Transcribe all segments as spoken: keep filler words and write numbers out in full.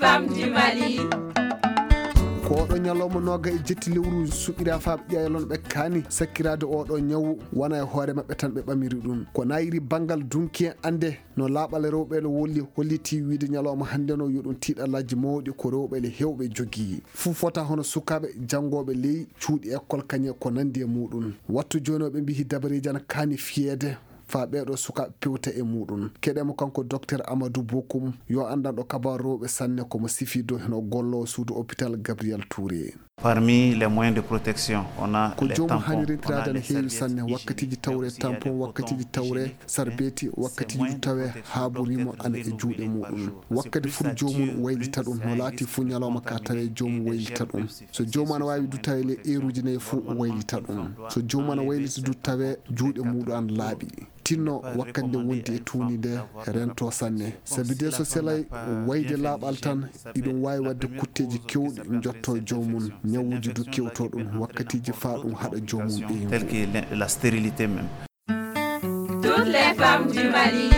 Femmes du Mali. Ko oɗo ñalawma nooga e jetti lewru suɓira faaɓe ƴeewa lonɓe kaani sakkiraade oɗo ñawu, wona e hoore maɓɓe tan ɓe ɓamiri ɗum. Ko naayiri banngal dunki en annde no laaɓal rewɓe no wolli, holliti wiide ñalawma hannde no yo ɗum tiiɗalaaji mawɗi ko rewɓe le heewɓe jogii. Fuu fota hono sukaaɓe, janngooɓe ley cuuɗi école kañe ko nanndi e muɗum. Wattu jooni o ɓe mbihi dabareeji ana kaani fiyeede faa ɓeeɗo sukaaɓe pewta e muɗum. Keɗee mo kanko Docteur Amadou Bokoum, yo anndanɗo kabaaru rewɓe sanne ko mo sifiido hino golloo suudu hôpital Gabriel Touré. Parmi les moyens de protection, on a ko les joomum tampons, hani on a rentiraade les ana heewi serviettes sanne, hygiéniques, wakkatiiji tawre mais aussi il y a tampon, des wakkatiiji cotons tawre hygiéniques, sarbeeti, wakkatiiji du tawe haa burimo ana e juuɗe muɗum. Wakkati fuu joomum waylita ɗum, no laati fuu ñalawma ka tawe joomum waylita ɗum. So joomum ana waawi du tawe le eeruuji nayi fuu waylita ɗum. So joomum ana waylita du tawe juuɗe muɗum ana laaɓi. Tinno wakkati nde wondi e tuuni nde rento sanne. Sabi de so selay wayde laaɓal tan, iɗum waawi waɗde kutteeji keewɗi njotto joomum, ñawuuji du kewto ɗum, wakkatiiji faa ɗum haɗa joomum ɓeyngu. Telles que la stérilité même. Toutes les femmes du Mali.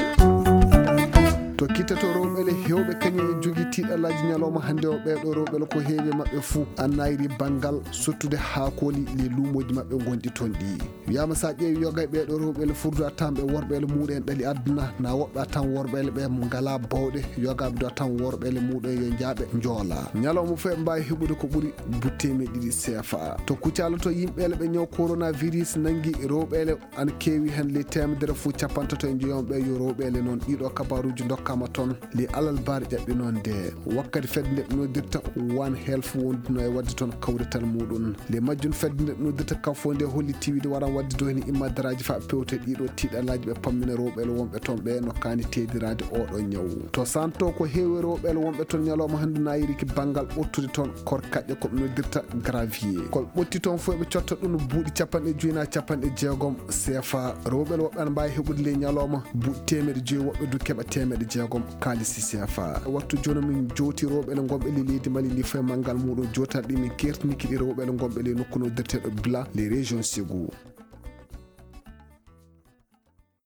To kittato rewɓe le heewɓe kañum e jogi tiiɗalaaji ñalawma hannde o, ɓeeɗo rewɓe le ko heewi e maɓɓe fuu annayri banngal sottude haakooli le luumooji maɓɓe ngonɗi toon ɗi. Wiyaama so a ƴeewi yoga e ɓeeɗo rewɓe le furdu a tan ɓe worɓe le muɗum en ɗali aduna, na woɓɓe a tan worɓe le ɓe ngalaa bawɗe, yogaaɓe du a tan worɓe le muɗum en yo njaaɓe njoola. Ñalawma fof eɓe mbaawi heɓude ko ɓuri buteemi ɗiɗi C F A. To Kucala to yimɓe le ɓe ñaw coronavirus nangi rewɓe le ana keewi heen le teemedere fof capantato e njoyon ɓe yo rewɓe le noon. Ɗiɗo kabaaruuji ndokkaama toon le alarba ɓaari ƴaɓɓi noon nde. Wakkati fedde nde ɓe noddirta One Health wonduno e waɗde toon kawrital muɗum. Le majjum fedde nde ɓe noddirta kafo nde holli tiwide waran waɗde do heen immadaraaji faa pewte ɗiɗo tiiɗalaaji ɓe pammina rewɓe le wonɓe toon ɓe no kaani teediraade oɗo ñaw. To santo ko heewi rewɓe le wonɓe toon ñalawma hannde naayiriki banngal ɓottude toon korkaƴƴe ko ɓe noddirta gravier. Ko ɓe ɓotti toon fof ɓe cotta ɗum buuɗi capanɗe joyi na capanɗe jeegom C F A. Rewɓe le woɓɓe ana mbaawi heɓude le ñalawma buuɗi teemeɗe joyi, woɓɓe du keɓa teemeɗe jeegom kaalisi C F A. Wattu jooni min jooti rewɓe le ngonɓe le leydi Mali ndi fof e manngal muɗum jootarɗi min kertiniki ɗi rewɓe le ngonɓe le nokku noddirteeɗo Bila le région Ségou.